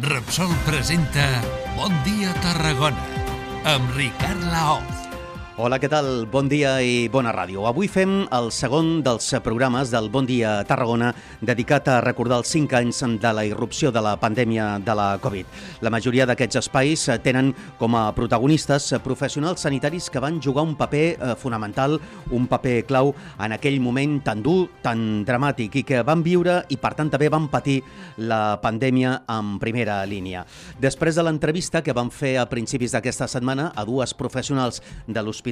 Repsol presenta Bon dia Tarragona amb Ricard Laoz. Hola, què tal? Bon dia i bona ràdio. Avui fem el segon dels programes del Bon dia Tarragona dedicat a recordar els 5 anys de la irrupció de la pandèmia de la Covid. La majoria d'aquests espais tenen com a protagonistes professionals sanitaris que van jugar un paper fonamental, un paper clau en aquell moment tan dur, tan dramàtic i que van viure i per tant també van patir la pandèmia en primera línia. Després de l'entrevista que vam fer a principis d'aquesta setmana a dues professionals de l'Hospital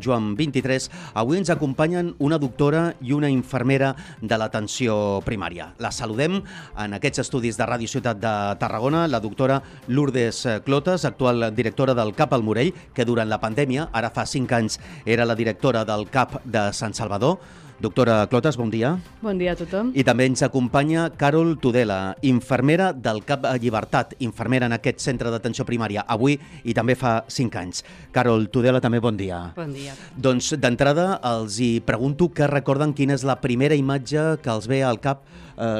Joan 23, avui ens acompanyen una doctora i una infermera de l'atenció primària. La saludem en aquests estudis de Ràdio Ciutat de Tarragona, la doctora Lourdes Clotas, actual directora del CAP al Morell, que durant la pandèmia, ara fa 5 anys, era la directora del CAP de Sant Salvador. Doctora Clotas, bon dia. Bon dia a tothom. I també ens acompanya Carol Tudela, infermera del CAP Llibertat, infermera en aquest centre d'atenció primària, avui i també fa 5 anys. Carol Tudela, també bon dia. Bon dia. Doncs d'entrada els hi pregunto que recorden quina és la primera imatge que els ve al cap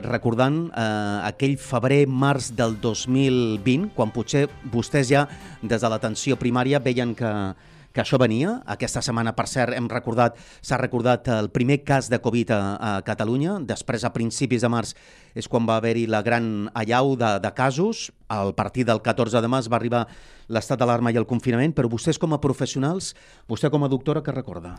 recordant aquell febrer-març del 2020, quan potser vostès ja des de l'atenció primària veien que això venia. Aquesta setmana, per cert, s'ha recordat el primer cas de Covid a Catalunya. Després, a principis de març, és quan va haver-hi la gran allau de casos. A partir del 14 de març va arribar l'estat d'alarma i el confinament, però vostès com a professionals, vostè com a doctora, què recorda?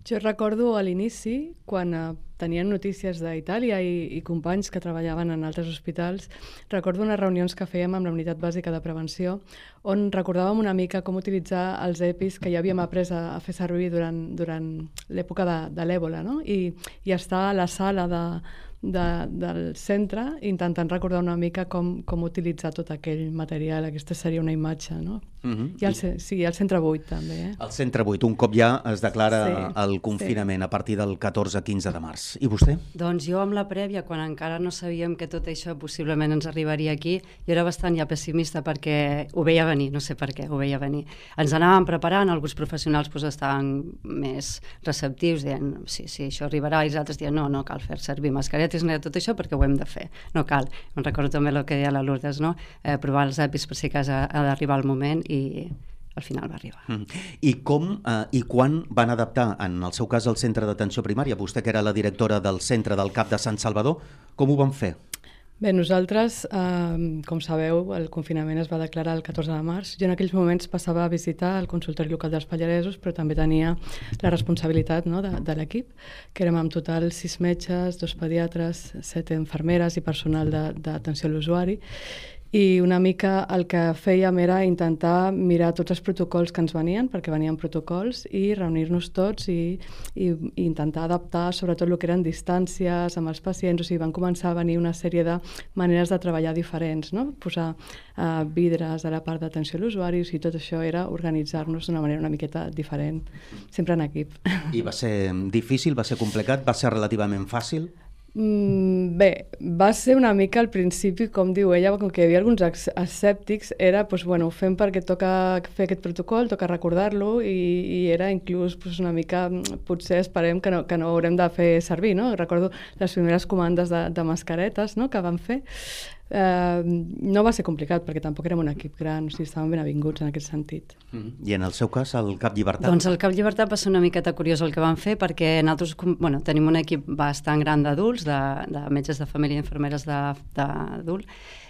Jo recordo a l'inici, quan tenien notícies d'Itàlia i companys que treballaven en altres hospitals, recordo unes reunions que fèiem amb la Unitat Bàsica de Prevenció, on recordàvem una mica com utilitzar els EPIs que ja havíem après a fer servir durant l'època de l'èbola, no? I estar a la sala del centre intentant recordar una mica com utilitzar tot aquell material. Aquesta seria una imatge, no? I el centre 8 també. El centre 8, un cop ja es declara el confinament a partir del 14-15 de març. I vostè? Doncs jo amb la prèvia, quan encara no sabíem que tot això possiblement ens arribaria aquí, jo era bastant ja pessimista perquè ho veia venir, no sé per què, ho veia venir. Ens anàvem preparant, alguns professionals estaven més receptius, dient, sí, això arribarà, i els altres dient, no cal fer servir mascaretes, tot això perquè ho hem de fer, no cal. Em recordo també el que deia la Lourdes, no? Provar els EPIs per si cas ha d'arribar el moment i al final va arribar. I com i quan van adaptar, en el seu cas, el centre d'atenció primària? Vostè, que era la directora del centre del CAP de Sant Salvador, com ho van fer? Bé, nosaltres, com sabeu, el confinament es va declarar el 14 de març. Jo en aquells moments passava a visitar el consultori local dels Pallaresos, però també tenia la responsabilitat, no, de l'equip, que érem en total 6 metges, 2 pediatres, 7 infermeres i personal d'atenció a l'usuari. I una mica el que fèiem era intentar mirar tots els protocols que ens venien, perquè venien protocols, i reunir-nos tots i intentar adaptar sobretot el que eren distàncies amb els pacients. O sigui, van començar a venir una sèrie de maneres de treballar diferents, no? Posar vidres a la part d'atenció a l'usuari, i tot això era organitzar-nos d'una manera una miqueta diferent, sempre en equip. I va ser difícil, va ser complicat, va ser relativament fàcil? Bé, va ser una mica al principi, com diu ella, com que hi havia alguns escèptics, era, ho fem perquè toca fer aquest protocol, toca recordar-lo, i era inclús una mica, potser esperem que no haurem de fer servir, no? Recordo les primeres comandes de mascaretes, no?, que vam fer. No va ser complicat perquè tampoc érem un equip gran, o sigui, estàvem ben avinguts en aquest sentit. I en el seu cas, el CAP Llibertat? Doncs el CAP Llibertat va ser una miqueta curiós el que vam fer, perquè nosaltres tenim un equip bastant gran d'adults, de metges de família i infermeres d'adult,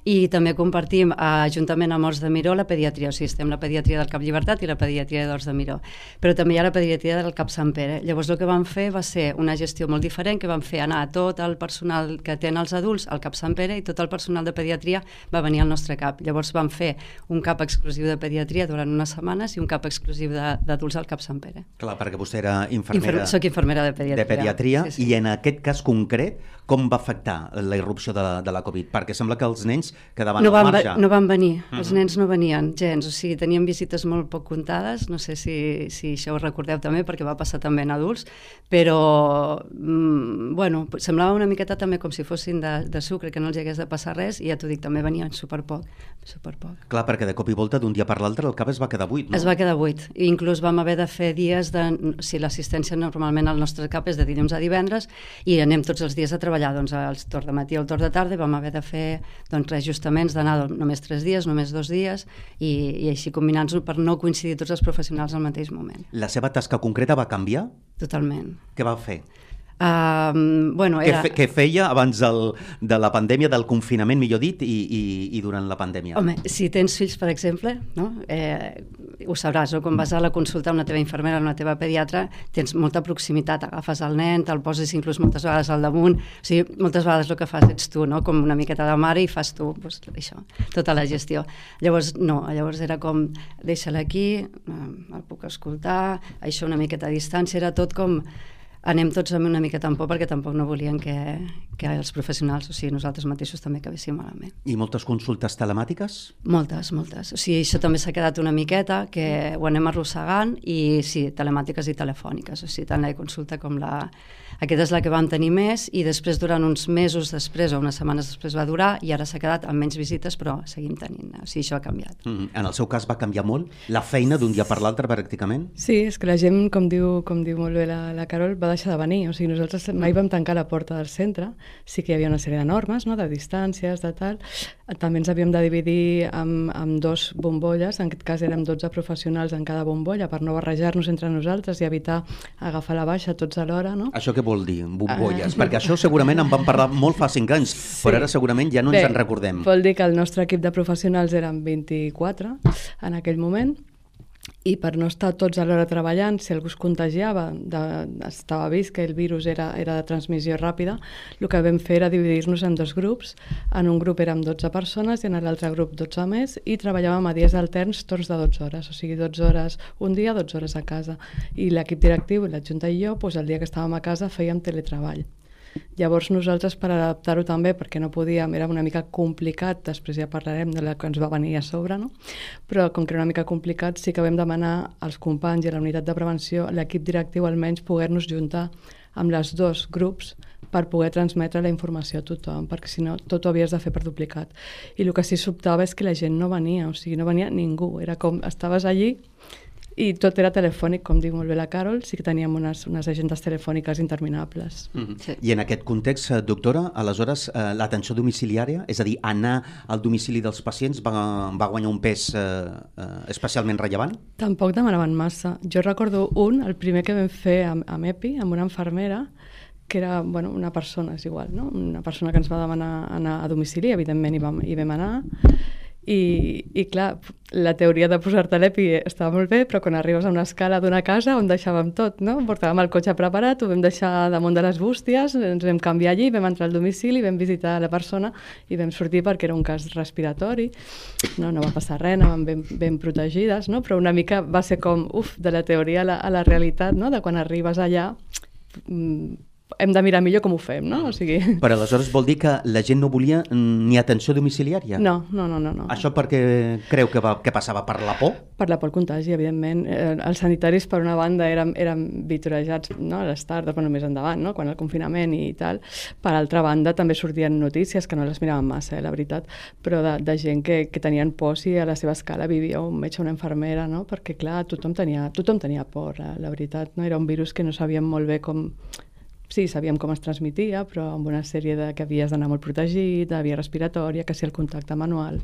i també compartim juntament amb Horts de Miró la pediatria, o sigui, estem la pediatria del CAP Llibertat i la pediatria d'Horts de Miró, però també hi ha la pediatria del CAP Sant Pere. Llavors el que vam fer va ser una gestió molt diferent, que vam fer anar tot el personal que tenen els adults al CAP Sant Pere i tot el personal de pediatria va venir al nostre CAP. Llavors vam fer un CAP exclusiu de pediatria durant unes setmanes i un CAP exclusiu d'adults al CAP Sant Pere. Clar, perquè vostè era infermera... Soc infermera de pediatria. Sí. I en aquest cas concret, com va afectar la irrupció de la Covid? Perquè sembla que els nens quedaven al marge. No van venir, els nens no venien gens, o sigui, tenien visites molt poc comptades, no sé si això ho recordeu també, perquè va passar també en adults, però, semblava una miqueta també com si fossin de sucre, que no els hi hagués de passar res, i ja t'ho dic, també venien superpoc. Clar, perquè de cop i volta, d'un dia per l'altre, el CAP es va quedar buit, no? Es va quedar buit, i inclús vam haver de fer dies si l'assistència normalment al nostre CAP és de dilluns a divendres, i anem tots els dies sorties a treballar el torn de matí o el torn de tarda, vam haver de fer reajustaments d'anar només 3 dies, només 2 dies, i així combinant-nos per no coincidir tots els professionals al mateix moment. La seva tasca concreta va canviar? Totalment. Què va fer? Què feia abans de la pandèmia, del confinament, millor dit, i durant la pandèmia? Home, si tens fills, per exemple, no? Ho sabràs, no? Quan vas a la consulta amb la teva infermera, amb la teva pediatra, tens molta proximitat, agafes el nen, te'l poses inclús moltes vegades al damunt, o sigui, moltes vegades el que fas ets tu, no? Com una miqueta de mare, i fas tu això, tota la gestió. Llavors, no, llavors era com, deixa-la aquí, el puc escoltar, això una miqueta a distància, era tot com anem tots amb una miqueta en por, perquè tampoc no volien que els professionals, o sigui, nosaltres mateixos també acabéssim malament. I moltes consultes telemàtiques? Moltes. O sigui, això també s'ha quedat una miqueta, que ho anem arrossegant, i sí, telemàtiques i telefòniques, o sigui, tant la consulta com la... Aquesta és la que vam tenir més, i després, durant uns mesos després, o unes setmanes després va durar, i ara s'ha quedat amb menys visites, però seguim tenint, o sigui, això ha canviat. En el seu cas va canviar molt? La feina d'un dia per l'altre, pràcticament? Sí, és que la gent, com diu molt bé la Carol, va deixar de venir. O sigui, nosaltres mai vam tancar la porta del centre, sí que hi havia una sèrie de normes, no?, de distàncies, de tal. També ens havíem de dividir amb 2 bombolles, en aquest cas érem 12 professionals en cada bombolla, per no barrejar-nos entre nosaltres i evitar agafar la baixa tots alhora, no? Això què vol dir, bombolles? Perquè això segurament en vam parlar molt fa 5 anys, sí. Però ara segurament ja no ens en recordem. Vol dir que el nostre equip de professionals eren 24 en aquell moment, i per no estar tots alhora treballant, si algú es contagiava, estava vist que el virus era de transmissió ràpida, el que vam fer era dividir-nos en 2 grups. En un grup érem 12 persones i en l'altre grup 12 més, i treballàvem a dies alterns, torns de 12 hores, o sigui, 12 hores un dia, 12 hores a casa. I l'equip directiu, l'adjunta i jo, el dia que estàvem a casa fèiem teletreball. Llavors nosaltres, per adaptar-ho també, perquè no podíem, era una mica complicat, després ja parlarem de la que ens va venir a sobre, no? Però com que era una mica complicat, sí que vam demanar als companys i a la unitat de prevenció, l'equip directiu almenys, poder-nos juntar amb les 2 grups per poder transmetre la informació a tothom, perquè si no tot ho havies de fer per duplicat. I el que sí sobtava és que la gent no venia, o sigui, no venia ningú, era com estaves allí i tot era telefònic, com diu molt bé la Carol, sí que teníem unes agendes telefòniques interminables. Sí. I en aquest context, doctora, aleshores l'atenció domiciliària, és a dir, anar al domicili dels pacients, va guanyar un pes especialment rellevant? Tampoc demanaven massa. Jo recordo el primer que vam fer amb EPI, amb una infermera, que era una persona, és igual, no? Una persona que ens va demanar anar a domicili, evidentment hi vam anar. I clar, la teoria de posar-te l'EPI estava molt bé, però quan arribes a una escala d'una casa on deixàvem tot, no? Portàvem el cotxe preparat, ho vam deixar damunt de les bústies, ens vam canviar allí, vam entrar al domicili, vam visitar la persona i vam sortir perquè era un cas respiratori, no va passar res, anàvem ben protegides, no? Però una mica va ser com, de la teoria a la realitat, no? De quan arribes allà hem de mirar millor com ho fem, no? O sigui... Però aleshores vol dir que la gent no volia ni atenció domiciliària? No. Això perquè creu que passava per la por? Per la por al contagi, evidentment. Els sanitaris, per una banda, eren vitorejats, no? A les tardes, més endavant, no? Quan el confinament i tal. Per altra banda, també sortien notícies que no les miraven massa, la veritat, però de gent que tenien por si a la seva escala vivia un metge o una infermera, no? Perquè, clar, tothom tenia por, la veritat, no? Era un virus que no sabíem molt bé com... Sí, sabíem com es transmetia, però amb una sèrie que havies d'anar molt protegit, de via respiratòria, que si el contacte manual...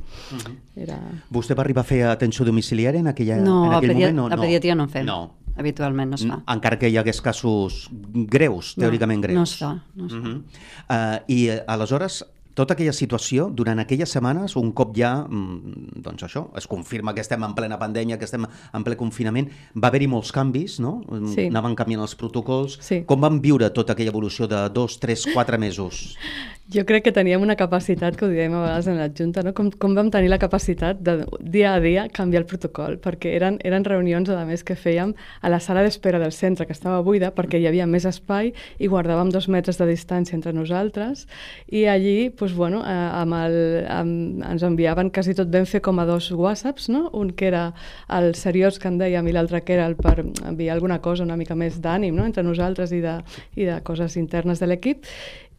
Vostè va arribar a fer atenció domiciliària en aquell moment? No, a pediatria no en fem. No. Habitualment no es fa. Encara que hi hagués casos greus, teòricament greus. No es fa. I aleshores... Tota aquella situació, durant aquelles setmanes, un cop ja, doncs això, es confirma que estem en plena pandèmia, que estem en ple confinament, va haver-hi molts canvis, no? Sí. Anaven canviant els protocols. Sí. Com van viure tota aquella evolució de 2, 3, 4 mesos? Jo crec que teníem una capacitat, que ho diem a vegades en l'adjunta, no? Com vam tenir la capacitat de dia a dia canviar el protocol, perquè eren reunions, a més, que fèiem a la sala d'espera del centre, que estava buida, perquè hi havia més espai i guardàvem 2 metres de distància entre nosaltres, i allí, ens enviaven quasi tot, vam fer com a 2 whatsapps, no? Un que era el seriós que en dèiem i l'altre que era el per enviar alguna cosa una mica més d'ànim, no? Entre nosaltres i de coses internes de l'equip.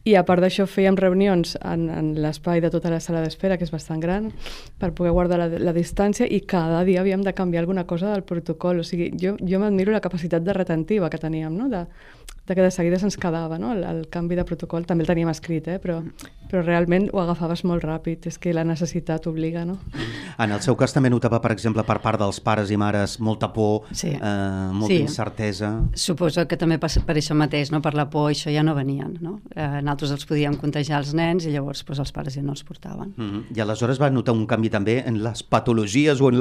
I a part d'això fèiem reunions en l'espai de tota la sala d'espera, que és bastant gran, per poder guardar la distància, i cada dia havíem de canviar alguna cosa del protocol. O sigui, jo m'admiro la capacitat de retentiva que teníem, no? de que de seguida se'ns quedava, no? El canvi de protocol també el teníem escrit, però realment ho agafaves molt ràpid. És que la necessitat obliga, no? En el seu cas també notava, per exemple, per part dels pares i mares molta por, molta incertesa. Suposo que també per això mateix, no? Per la por, això ja no venien, no? Nosaltres els podíem contagiar els nens i llavors els pares ja no els portaven. I aleshores va notar un canvi també en les patologies o en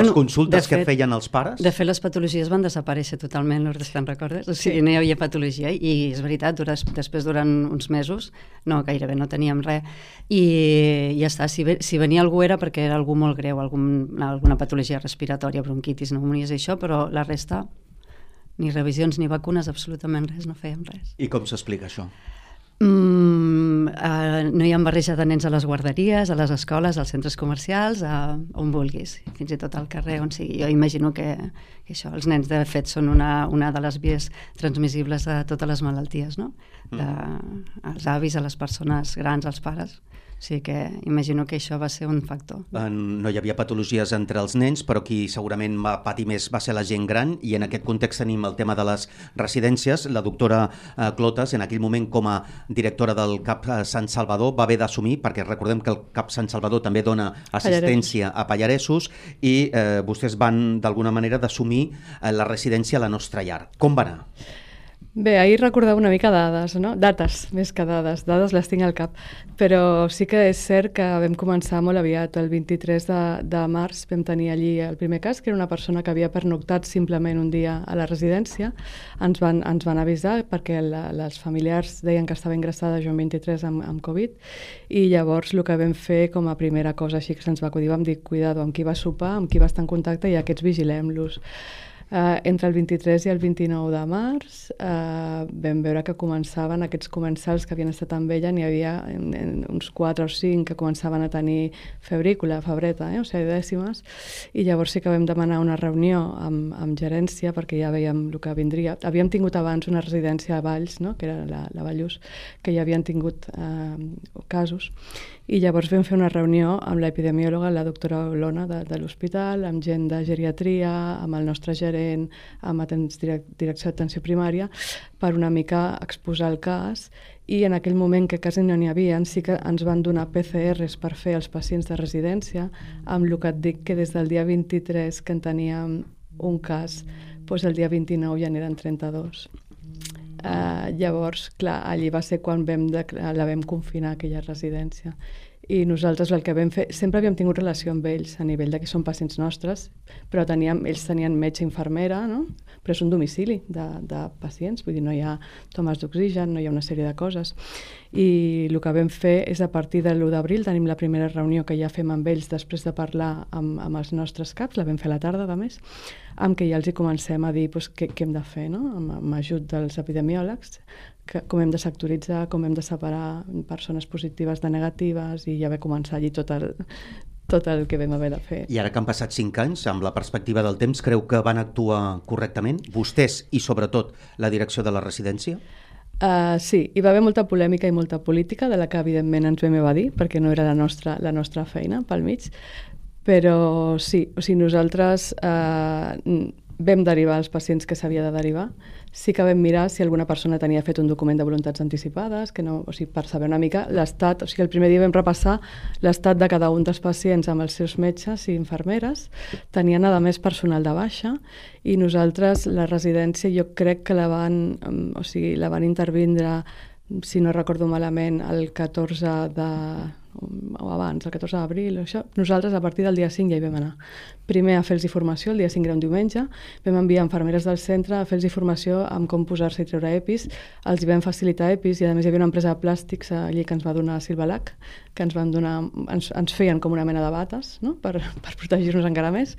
les consultes que feien els pares? De fet, les patologies van desaparèixer totalment, Lourdes, te'n recordes? O sigui, no hi havia patologia i és veritat, després durant uns mesos gairebé no teníem res i ja està, si venia algú era perquè era algú molt greu, alguna patologia respiratòria, bronquitis, pneumonies i això, però la resta, ni revisions ni vacunes, absolutament res, no fèiem res. I com s'explica això? No hi ha barreja de nens a les guarderies, a les escoles, als centres comercials, on vulguis, fins i tot al carrer on sigui. Jo imagino que això, els nens de fet són una de les vies transmissibles de totes les malalties, no? Als avis, a les persones grans, als pares. O sigui que imagino que això va ser un factor. No hi havia patologies entre els nens, però qui segurament va patir més va ser la gent gran, i en aquest context tenim el tema de les residències. La doctora Clotas, en aquell moment com a directora del CAP Sant Salvador, va haver d'assumir, perquè recordem que el CAP Sant Salvador també dona assistència a pallaresos, i vostès van d'alguna manera d'assumir la residència a la nostra llar. Com va anar? Bé, ahir recordava una mica dades, no? Dates, més que dades les tinc al cap, però sí que és cert que vam començar molt aviat. El 23 de març vam tenir allí el primer cas, que era una persona que havia pernoctat simplement un dia a la residència. Ens van avisar perquè els familiars deien que estava ingressada Joan 23 amb Covid, i llavors el que vam fer com a primera cosa així que se'ns va acudir, vam dir, cuidado, amb qui va sopar, amb qui va estar en contacte, i aquests vigilem-los. Entre el 23 i el 29 de març vam veure que començaven aquests comensals que havien estat amb ella, n'hi havia uns 4 o 5 que començaven a tenir febrícula, febreta, o sigui, dècimes, i llavors sí que vam demanar una reunió amb gerència perquè ja veiem el que vindria. Havíem tingut abans una residència a Valls, no? Que era la Vallús, que ja havien tingut casos, i llavors vam fer una reunió amb l'epidemiòloga, la doctora Olona de l'hospital, amb gent de geriatria, amb el nostre gerent, amb direcció d'atenció primària, per una mica exposar el cas, i en aquell moment que quasi no n'hi havia, sí que ens van donar PCRs per fer els pacients de residència, amb el que et dic que des del dia 23 que en teníem un cas, doncs el dia 29 ja n'eren 32. Llavors, clar, allí va ser quan la vam confinar, aquella residència. I nosaltres el que vam fer, sempre havíem tingut relació amb ells a nivell de que són pacients nostres, però ells tenien metge i infermera, no? Però és un domicili de pacients, vull dir, no hi ha tomes d'oxigen, no hi ha una sèrie de coses. I el que vam fer és, a partir de l'1 d'abril, tenim la primera reunió que ja fem amb ells després de parlar amb els nostres caps, la vam fer a la tarda, a més, amb què ja els hi comencem a dir què hem de fer, no? Amb ajut dels epidemiòlegs, com hem de sectoritzar, com hem de separar persones positives de negatives, i ja va començar allí tot el que vam haver de fer. I ara que han passat 5 anys, amb la perspectiva del temps, creu que van actuar correctament? Vostès i, sobretot, la direcció de la residència? Sí, hi va haver molta polèmica i molta política, de la que evidentment ens vam evadir, perquè no era la nostra feina pel mig, però sí, o sigui, nosaltres vam derivar els pacients que s'havia de derivar. Sí que vam mirar si alguna persona tenia fet un document de voluntats anticipades, o sigui, per saber una mica l'estat. O sigui, el primer dia vam repassar l'estat de cada un dels pacients amb els seus metges i infermeres. Tenien, a més, personal de baixa, i nosaltres, la residència, jo crec que la van intervindre, si no recordo malament, el 14 o abans, el 14 d'abril, això. Nosaltres a partir del dia 5 ja hi vam anar. Primer a fer-los formació, el dia 5 era un diumenge, vam enviar infermeres del centre a fer-los formació amb com posar-se i treure EPIs, els hi vam facilitar EPIs, i a més hi havia una empresa de plàstics allí que ens va donar Silvalac, que ens feien com una mena de bates, no? per protegir-nos encara més,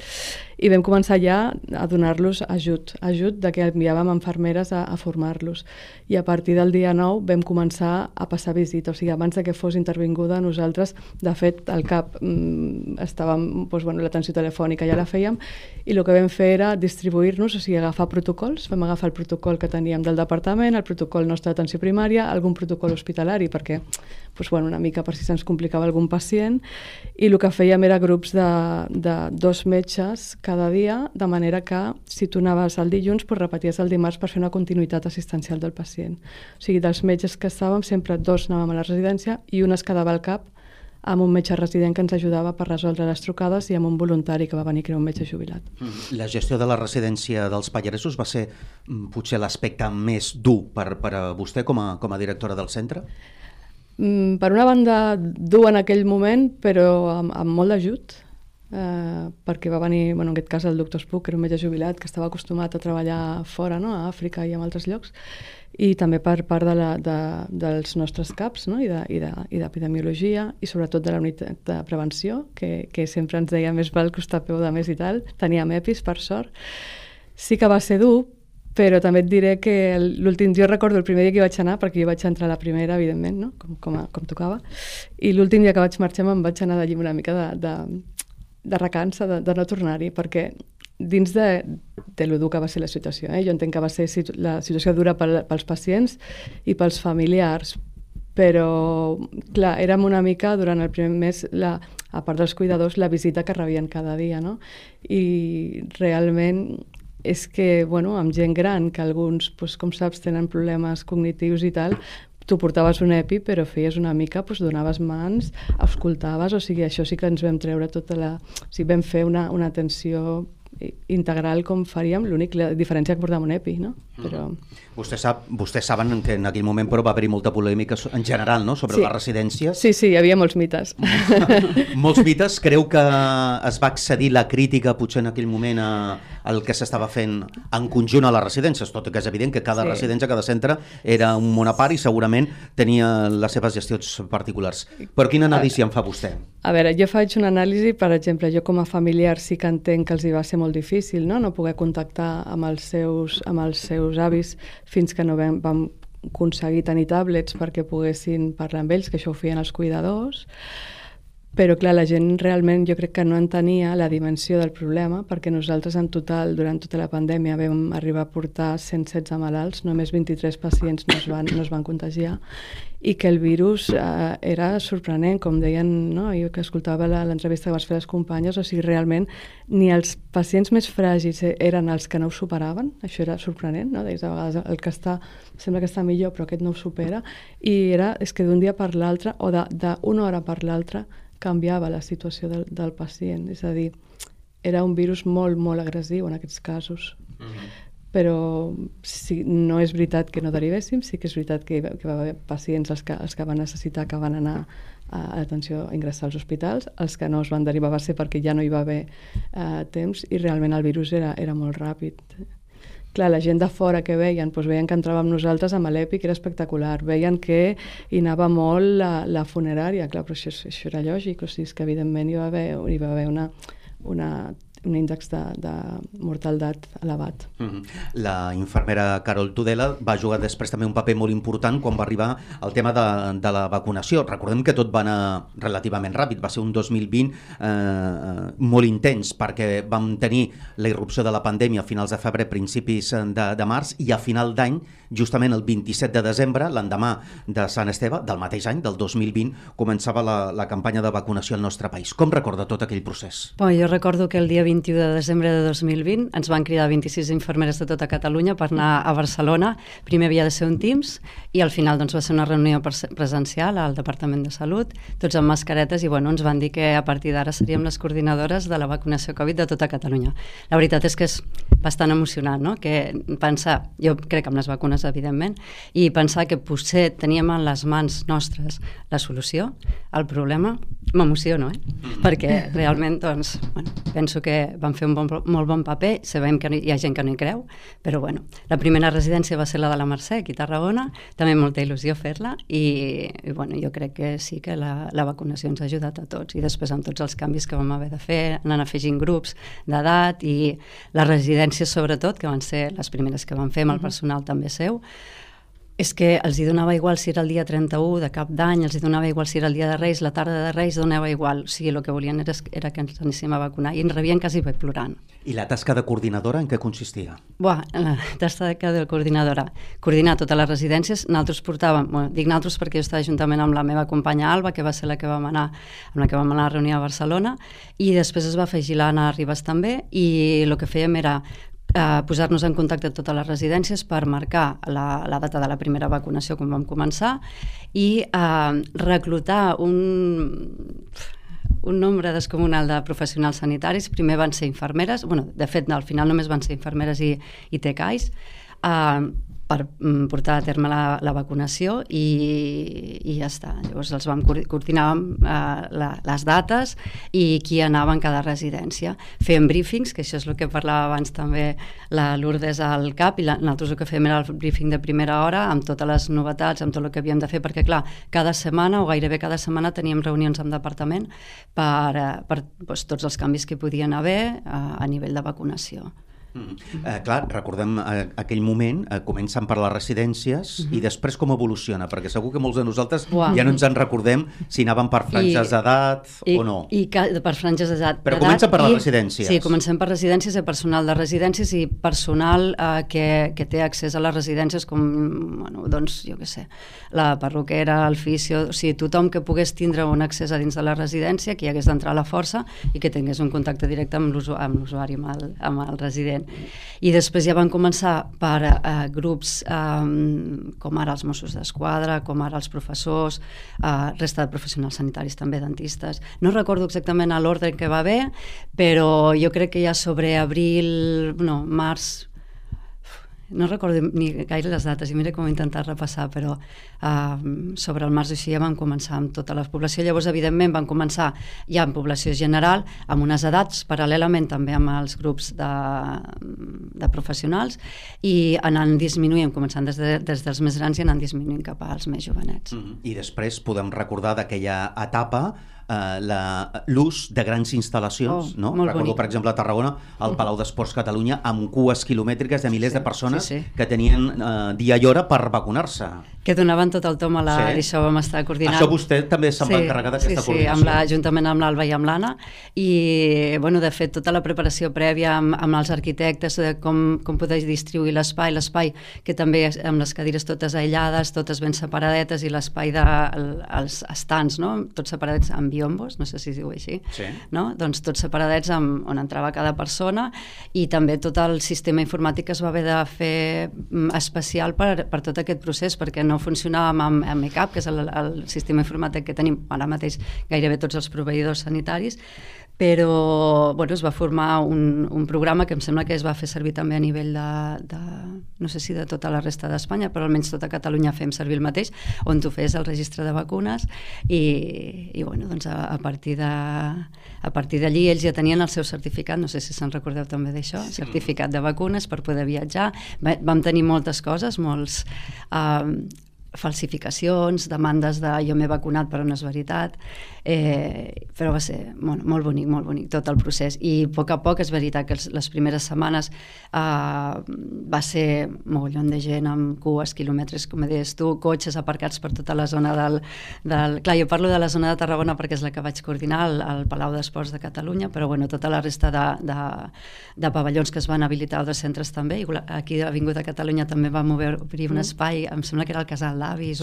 i vam començar ja a donar-los ajut de que enviàvem infermeres a formar-los, i a partir del dia 9 vam començar a passar visita, o sigui, abans de que fos intervinguda, nosaltres De fet, al CAP estàvem, doncs, l'atenció telefònica ja la fèiem, i el que vam fer era distribuir-nos, o sigui, agafar protocols. Vam agafar el protocol que teníem del departament, el protocol nostre d'atenció primària, algun protocol hospitalari, perquè doncs, una mica per si se'ns complicava algun pacient, i el que fèiem era grups de 2 metges cada dia, de manera que si tu anaves el dilluns, doncs repeties el dimarts per fer una continuïtat assistencial del pacient. O sigui, dels metges que estàvem, sempre 2 anàvem a la residència i un es quedava al CAP amb un metge resident que ens ajudava per resoldre les trucades i amb un voluntari que va venir, que era un metge jubilat. La gestió de la residència dels Pallaresos va ser potser l'aspecte més dur per a vostè com a directora del centre? Per una banda, dur en aquell moment, però amb molt d'ajut, perquè va venir, en aquest cas, el doctor Spuch, que era un metge jubilat que estava acostumat a treballar fora, no? A Àfrica i en altres llocs, i també per part dels nostres CAPs, no? I d'epidemiologia, i sobretot de la unitat de prevenció, que sempre ens deia més val costar peu de més i tal. Teníem EPIs, per sort. Sí que va ser dur, però també et diré que l'últim, jo recordo el primer dia que vaig anar, perquè jo vaig entrar a la primera, evidentment, no? com tocava, i l'últim dia que vaig marxar me'n vaig anar d'allí una mica de recança, de no tornar-hi, perquè dins de lo dur que va ser la situació, jo entenc que va ser la situació dura pels pacients i pels familiars, però clar, érem una mica durant el primer mes, a part dels cuidadors, la visita que rebien cada dia, no? I realment és que, amb gent gran, que alguns, com saps, tenen problemes cognitius i tal, tu portaves un EPI, però feies una mica, donaves mans, escoltaves, o sigui, això sí que ens vam treure tota la... O sigui, vam fer una atenció integral com faríem, l'única diferència que portàvem un EPI, no? Però... Vostès saben que en aquell moment però va haver-hi molta polèmica en general, no?, sobre les residències. Sí, hi havia molts mites. Molts mites. Creu que es va accedir la crítica potser en aquell moment al que s'estava fent en conjunt a les residències, tot i que és evident que cada residència, cada centre era un món a part i segurament tenia les seves gestions particulars. Però quina anàlisi en fa vostè? A veure, jo faig una anàlisi, per exemple, jo com a familiar sí que entenc que els hi va ser molt difícil, no poder contactar amb els seus avis fins que no vam aconseguir tenir tablets perquè poguessin parlar amb ells, que això ho feien els cuidadors. Però, clar, la gent realment jo crec que no entenia la dimensió del problema, perquè nosaltres en total, durant tota la pandèmia, vam arribar a portar 116 malalts, només 23 pacients no es van contagiar, i que el virus era sorprenent, com deien, no? Jo que escoltava l'entrevista que vas fer les companyes, o sigui, realment ni els pacients més fràgils eren els que no ho superaven, això era sorprenent, no? Deies, a vegades el que sembla que està millor, però aquest no ho supera, i és que d'un dia per l'altre, o d'una hora per l'altra, canviava la situació del pacient. És a dir, era un virus molt, molt agressiu en aquests casos. Però sí, no és veritat que no derivéssim, sí que és veritat que va haver pacients els que van necessitar, que van anar a l'atenció a ingressar als hospitals, els que no es van derivar va ser perquè ja no hi va haver temps i realment el virus era molt ràpid. Clar, la gent de fora que veien que entràvem nosaltres amb l'EPI, que era espectacular, veien que hi anava molt la funerària, clar, però això era lògic, o sigui, és que evidentment hi va haver un índex de mortaldat elevat. La infermera Carol Tudela va jugar després també un paper molt important quan va arribar el tema de la vacunació. Recordem que tot va anar relativament ràpid, va ser un 2020 molt intens, perquè vam tenir la irrupció de la pandèmia a finals de febrer, principis de març, i a final d'any, justament el 27 de desembre, l'endemà de Sant Esteve, del mateix any, del 2020, començava la campanya de vacunació al nostre país. Com recorda tot aquell procés? Jo recordo que el dia 21 de desembre de 2020 ens van cridar 26 infermeres de tota Catalunya per anar a Barcelona. Primer havia de ser un Teams i al final va ser una reunió presencial al Departament de Salut, tots amb mascaretes, i ens van dir que a partir d'ara seríem les coordinadores de la vacunació Covid de tota Catalunya. La veritat és que és bastant emocionant, no? Que pensar, jo crec amb les vacunes evidentment, i pensar que potser teníem en les mans nostres la solució al problema, m'emociono, perquè realment penso que van fer un molt bon paper, sabem que hi ha gent que no hi creu, però la primera residència va ser la de la Mercè, aquí a Tarragona, també molta il·lusió fer-la, i jo crec que sí que la vacunació ens ha ajudat a tots, i després amb tots els canvis que vam haver de fer, anant afegint grups d'edat, i les residències sobretot, que van ser les primeres que vam fer amb el personal també seu, És que els hi donava igual si era el dia 31 de cap d'any, els hi donava igual si era el dia de Reis, la tarda de Reis donava igual. O sigui, el que volien era que ens anéssim a vacunar i ens rebien quasi plorant. I la tasca de coordinadora en què consistia? La tasca de coordinadora. Coordinar totes les residències. Nosaltres portàvem, dic nosaltres perquè jo estava juntament amb la meva companya Alba, que va ser la que vam anar, amb la que vam anar a reunir a Barcelona, i després es va afegir l'Anna Ribas també, i el que fèiem era posar-nos en contacte amb totes les residències per marcar la data de la primera vacunació quan vam començar i reclutar un nombre descomunal de professionals sanitaris. Primer van ser infermeres, de fet al final només van ser infermeres i tecais, per portar a terme la vacunació i ja està. Llavors els vam coordinar les dates i qui anava en cada residència. Fèiem briefings, que això és el que parlava abans també la Lourdes al CAP, i nosaltres el que fèiem era el briefing de primera hora amb totes les novetats, amb tot el que havíem de fer, perquè clar, cada setmana o gairebé cada setmana teníem reunions amb departament per tots els canvis que hi podien haver a nivell de vacunació. Clar, recordem aquell moment, comencen per les residències i després com evoluciona, perquè segur que molts de nosaltres ja no ens en recordem si anaven per franges d'edat o no. Per franges d'edat. Però comença per les residències. Sí, comencem per residències, personal de residències i personal que té accés a les residències com, doncs, jo què sé, la perruquera, el fisio, o sigui, tothom que pogués tindre un accés a dins de la residència, que hi hagués d'entrar a la força i que tingués un contacte directe amb l'usuari, amb el resident. I després ja van començar per grups com ara els Mossos d'Esquadra, com ara els professors, resta de professionals sanitaris també, dentistes. No recordo exactament l'ordre que va haver, però jo crec que ja sobre març, no recordo ni gaire les dates, i mira com he intentat repassar, però sobre el març així ja van començar amb tota la població. Llavors, evidentment, van començar ja en població general, amb unes edats, paral·lelament també amb els grups de professionals, i anant disminuint, començant des dels més grans i anant disminuint cap als més jovenets. I després podem recordar d'aquella etapa l'ús de grans instal·lacions, no? Recordo, per exemple, a Tarragona, al Palau d'Esports Catalunya, amb cues quilomètriques de milers de persones que tenien dia i hora per vacunar-se. Que donaven tot el tom a i això vam estar coordinant. Això vostè també se'n va encarregar d'aquesta coordinació. Sí, juntament amb l'Alba i amb l'Anna, i de fet tota la preparació prèvia amb els arquitectes de com poder distribuir l'espai que també amb les cadires totes aïllades, totes ben separadetes, i l'espai dels estants, tots separadets amb biombos, no sé si es diu així, no? Doncs tots separadets on entrava cada persona, i també tot el sistema informàtic es va haver de fer especial per tot aquest procés, perquè no funcionàvem amb ECAP, que és el sistema informàtic que tenim ara mateix gairebé tots els proveïdors sanitaris, però es va formar un programa que em sembla que es va fer servir també a nivell no sé si de tota la resta d'Espanya, però almenys tota Catalunya fem servir el mateix, on tu fes el registre de vacunes, i doncs a partir d'allí ells ja tenien el seu certificat, no sé si se'n recordeu també d'això, certificat de vacunes per poder viatjar. Vam tenir moltes coses, molts falsificacions, demandes de jo m'he vacunat però no és veritat, però va ser molt bonic tot el procés, i a poc és veritat que les primeres setmanes va ser mogollon de gent amb cues, quilòmetres, com deies tu, cotxes aparcats per tota la zona clar, jo parlo de la zona de Tarragona perquè és la que vaig coordinar, al Palau d'Esports de Catalunya, però tota la resta de pavellons que es van habilitar a altres centres també, aquí a Avinguda Catalunya també vam obrir un espai, em sembla que era el Casal d'Avis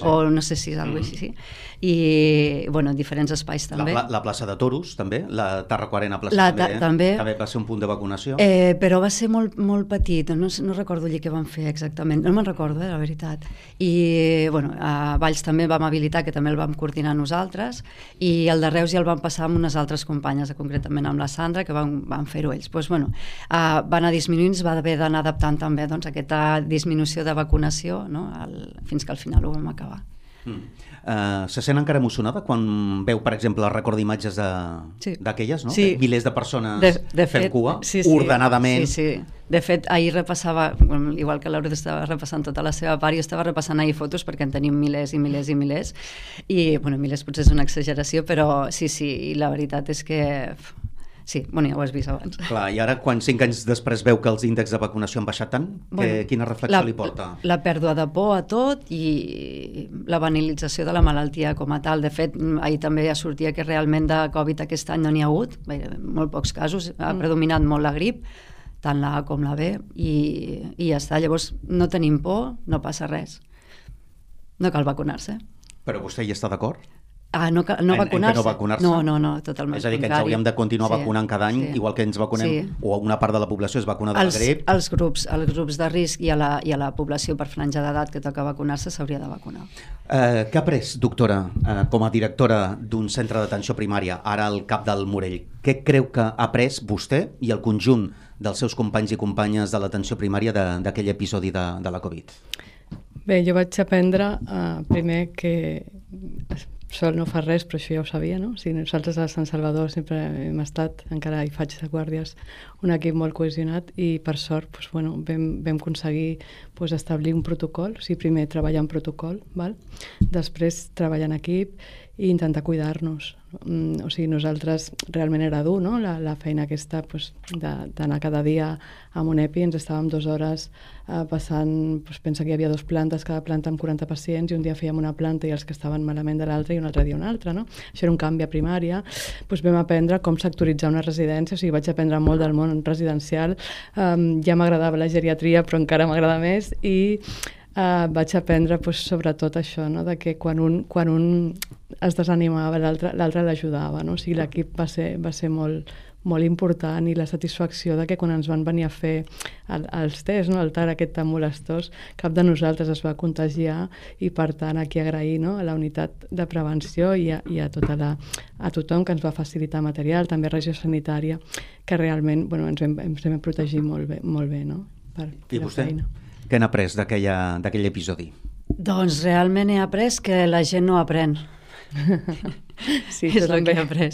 o no sé si és alguna cosa així, i diferents espais també. La plaça de Toros també, la Tarraco-Arena plaça també va ser un punt de vacunació, però va ser molt petit, no recordo allí què van fer exactament, no me'n recordo, la veritat, i a Valls també vam habilitar, que també el vam coordinar nosaltres, i el de Reus ja el vam passar amb unes altres companyes, concretament amb la Sandra, que van fer-ho ells. Va anar disminuint, es va haver d'anar adaptant també aquesta disminució de vacunació, fins que al final ho vam acabar. Se sent encara emocionada quan veu, per exemple, el record d'imatges d'aquelles, no? Sí. Milers de persones fent cua, ordenadament. Sí. De fet, ahir repassava, igual que l'Aurora estava repassant tota la seva part, jo estava repassant ahir fotos perquè en tenim milers i milers i milers, i milers potser és una exageració, però sí, la veritat és que Sí, bueno, ja ho has vist abans. Clar, i ara, quan 5 anys després veu que els índexs de vacunació han baixat tant, quina reflexió li porta? La pèrdua de por a tot i la banalització de la malaltia com a tal. De fet, ahir també ja sortia que realment de Covid aquest any no n'hi ha hagut, molt pocs casos, ha predominat molt la grip, tant la A com la B, i ja està. Llavors, no tenim por, no passa res. No cal vacunar-se. Però vostè hi està d'acord? No vacunar-se? No vacunar-se? No, totalment. És a dir, que ens hauríem de continuar vacunant cada any, igual que ens vacunem, o una part de la població es vacuna de la grip. Els grups de risc i a la població per franja d'edat que toca vacunar-se s'hauria de vacunar. Què ha après, doctora, com a directora d'un centre d'atenció primària, ara al Cap del Morell? Què creu que ha après vostè i el conjunt dels seus companys i companyes de l'atenció primària d'aquell episodi de la Covid? Bé, jo vaig aprendre primer que sol no fa res, però això ja ho sabia, no? O sigui, nosaltres a Sant Salvador sempre hem estat, encara hi faig de guàrdies, un equip molt cohesionat i per sort doncs, bueno, vam aconseguir establir un protocol, o sigui, primer treballar en protocol, val? Després treballar en equip i intentar cuidar-nos. O sigui, nosaltres realment era dur, no? La feina aquesta d'anar cada dia amb un EPI, ens estàvem 2 hores passant, pensa que hi havia 2 plantes, cada planta amb 40 pacients, i un dia fèiem una planta i els que estaven malament de l'altra i un altre dia una altra, no? Això era un canvi a primària. Vam aprendre com sectoritzar una residència, o sigui, vaig aprendre molt del món residencial, ja m'agradava la geriatria, però encara m'agrada més, i vaig aprendre sobretot això, no? De que quan un es desanimava, l'altre l'ajudava, no? O sigui, l'equip va ser molt important, i la satisfacció de que quan ens van venir a fer els tests, no? El TAR aquest tan molestós, cap de nosaltres es va contagiar, i per tant aquí agrair, no? A la unitat de prevenció i a tothom que ens va facilitar material, també regió sanitària, que realment ens vam protegir molt bé, no? I vostè? Què n'ha après d'aquell episodi? Doncs realment he après que la gent no aprèn. Sí, és el que he après,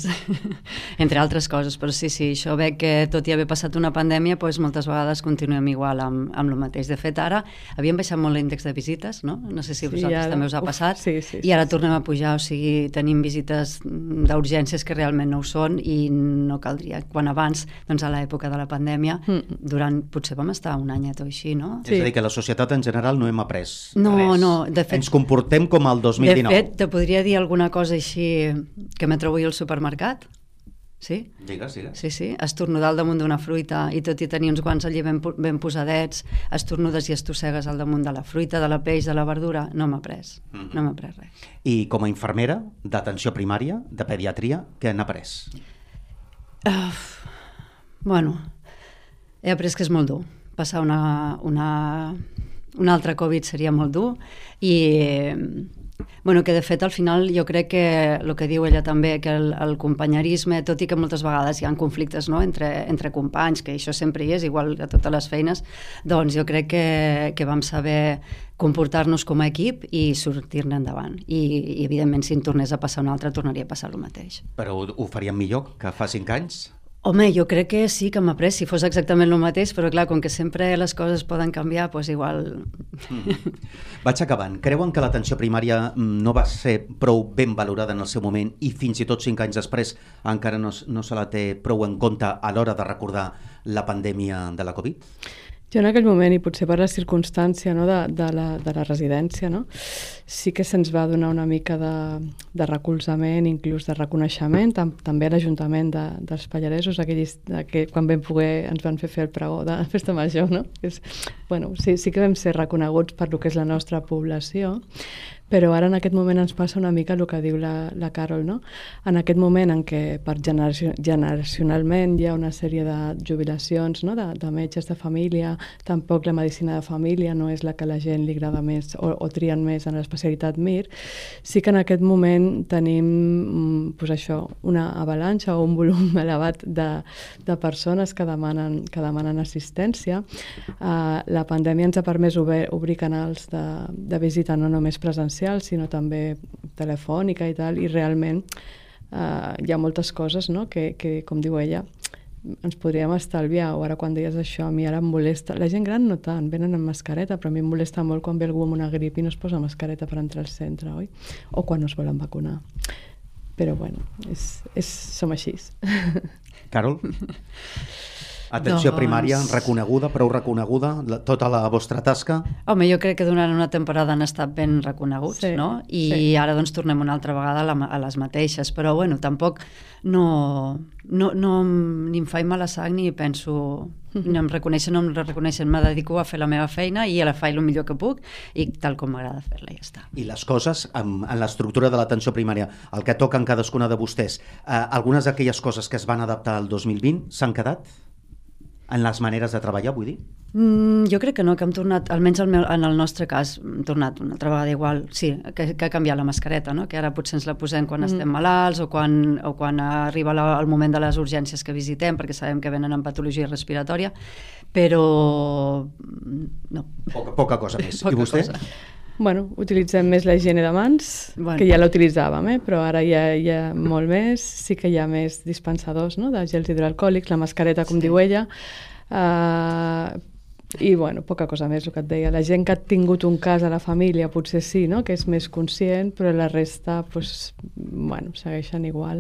entre altres coses, però sí, això ve que tot i haver passat una pandèmia, moltes vegades continuem igual amb el mateix. De fet, ara havíem baixat molt l'índex de visites, no? No sé si vosaltres també us ha passat, i ara tornem a pujar, o sigui, tenim visites d'urgències que realment no ho són, i no caldria. Quan abans, a l'època de la pandèmia, potser vam estar un anyet o així, no? És a dir, que la societat en general no hem après res. No, de fet... Ens comportem com el 2019. De fet, te podria dir alguna cosa així que me trobo jo al supermercat. Sí? Digues. Sí, estornudar al damunt d'una fruita, i tot i tenir uns guants allí ben posadets, estornudes i estossegues al damunt de la fruita, de la peix, de la verdura. No m'ha pres res. I com a infermera d'atenció primària, de pediatria, què n'ha après? He après que és molt dur. Passar un altre Covid seria molt dur, i que de fet al final jo crec que el que diu ella també, que el companyerisme, tot i que moltes vegades hi ha conflictes, no? entre companys, que això sempre hi és, igual a totes les feines, doncs jo crec que vam saber comportar-nos com a equip i sortir-ne endavant, i evidentment si en tornés a passar un altre tornaria a passar el mateix. Però ho faríem millor que fa 5 anys? Home, jo crec que sí que m'ha après, si fos exactament el mateix, però clar, com que sempre les coses poden canviar, doncs igual... Vaig acabant. Creuen que l'atenció primària no va ser prou ben valorada en el seu moment, i fins i tot 5 anys després encara no se la té prou en compte a l'hora de recordar la pandèmia de la Covid? Jo en aquell moment, i potser per la circumstància, no, de la residència, no, sí que se'ns va donar una mica de recolzament, inclús de reconeixement, també a l'Ajuntament dels Pallaresos, que quan vam poder ens van fer el pregó de Festa Major, no? Sí que vam ser reconeguts per lo que és la nostra població, però ara en aquest moment ens passa una mica el que diu la Carol, no? En aquest moment en què generacionalment hi ha una sèrie de jubilacions, no? de metges de família, tampoc la medicina de família no és la que a la gent li agrada més o trien més en l'especialitat MIR, sí que en aquest moment tenim una avalanxa o un volum elevat de persones que demanen assistència. La pandèmia ens ha permès obrir canals de visita no només presencials, sinó també telefònica i tal, i realment hi ha moltes coses, no? que, com diu ella, ens podríem estalviar. O ara quan deies això, a mi ara em molesta. La gent gran no tant, venen amb mascareta, però a mi em molesta molt quan ve algú amb una grip i no es posa mascareta per entrar al centre, oi? O quan no es volen vacunar. però bueno, som així. Carol? Atenció Doncs... primària, reconeguda, prou reconeguda, tota la vostra tasca? Home, jo crec que durant una temporada han estat ben reconeguts, sí, no? I sí. Ara doncs tornem una altra vegada a les mateixes, però bueno, tampoc no ni em fa mala sang ni penso ni em reconeixen o no em reconeixen, me dedico a fer la meva feina i a la faig el millor que puc i tal com m'agrada fer-la, ja està. I les coses, en l'estructura de l'atenció primària, el que toquen cadascuna de vostès, algunes d'aquelles coses que es van adaptar al 2020 s'han quedat? En les maneres de treballar, vull dir? Jo crec que no, que hem tornat, almenys en el nostre cas, hem tornat una altra vegada igual, sí, que ha canviat la mascareta, no? Que ara potser ens la posem quan estem malalts o quan arriba el moment de les urgències que visitem, perquè sabem que venen amb patologia respiratòria, però no. Poca cosa més. Poca I vostè? cosa. Bueno, utilitzem més la higiene de mans, que ja la utilitzàvem, però ara hi ha molt més, sí que hi ha més dispensadors, no?, de gels hidroalcohòlics, la mascareta, com diu ella, i bueno, poca cosa més, el que et deia. La gent que ha tingut un cas a la família potser sí, no?, que és més conscient, però la resta, pues, bueno, segueixen igual.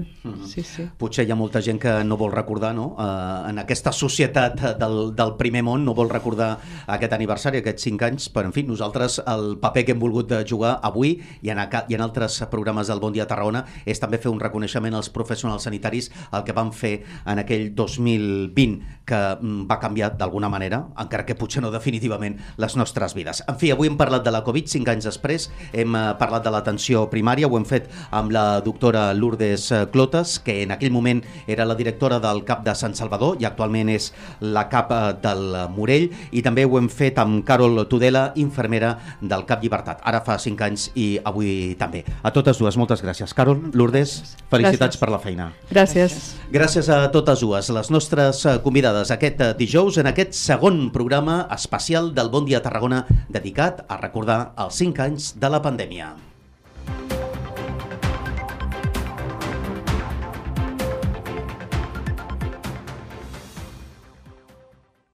Sí, sí. Potser hi ha molta gent que no vol recordar, no?, en aquesta societat del primer món, no vol recordar aquest aniversari, aquests 5 anys, però en fi, nosaltres el paper que hem volgut jugar avui i en altres programes del Bon Dia Tarragona és també fer un reconeixement als professionals sanitaris, el que van fer en aquell 2020, que va canviar d'alguna manera, encara que potser no definitivament, les nostres vides. En fi, avui hem parlat de la Covid, 5 anys després, hem parlat de l'atenció primària, ho hem fet amb la doctora Lourdes Clotas, que en aquell moment era la directora del CAP de Sant Salvador i actualment és la CAP del Morell, i també ho hem fet amb Carol Tudela, infermera del CAP Llibertat. Ara fa 5 anys i avui també. A totes dues, moltes gràcies. Carol, Lourdes, felicitats per la feina. Gràcies. Gràcies a totes dues, les nostres convidades aquest dijous en aquest segon programa especial del Bon Dia Tarragona dedicat a recordar els 5 anys de la pandèmia.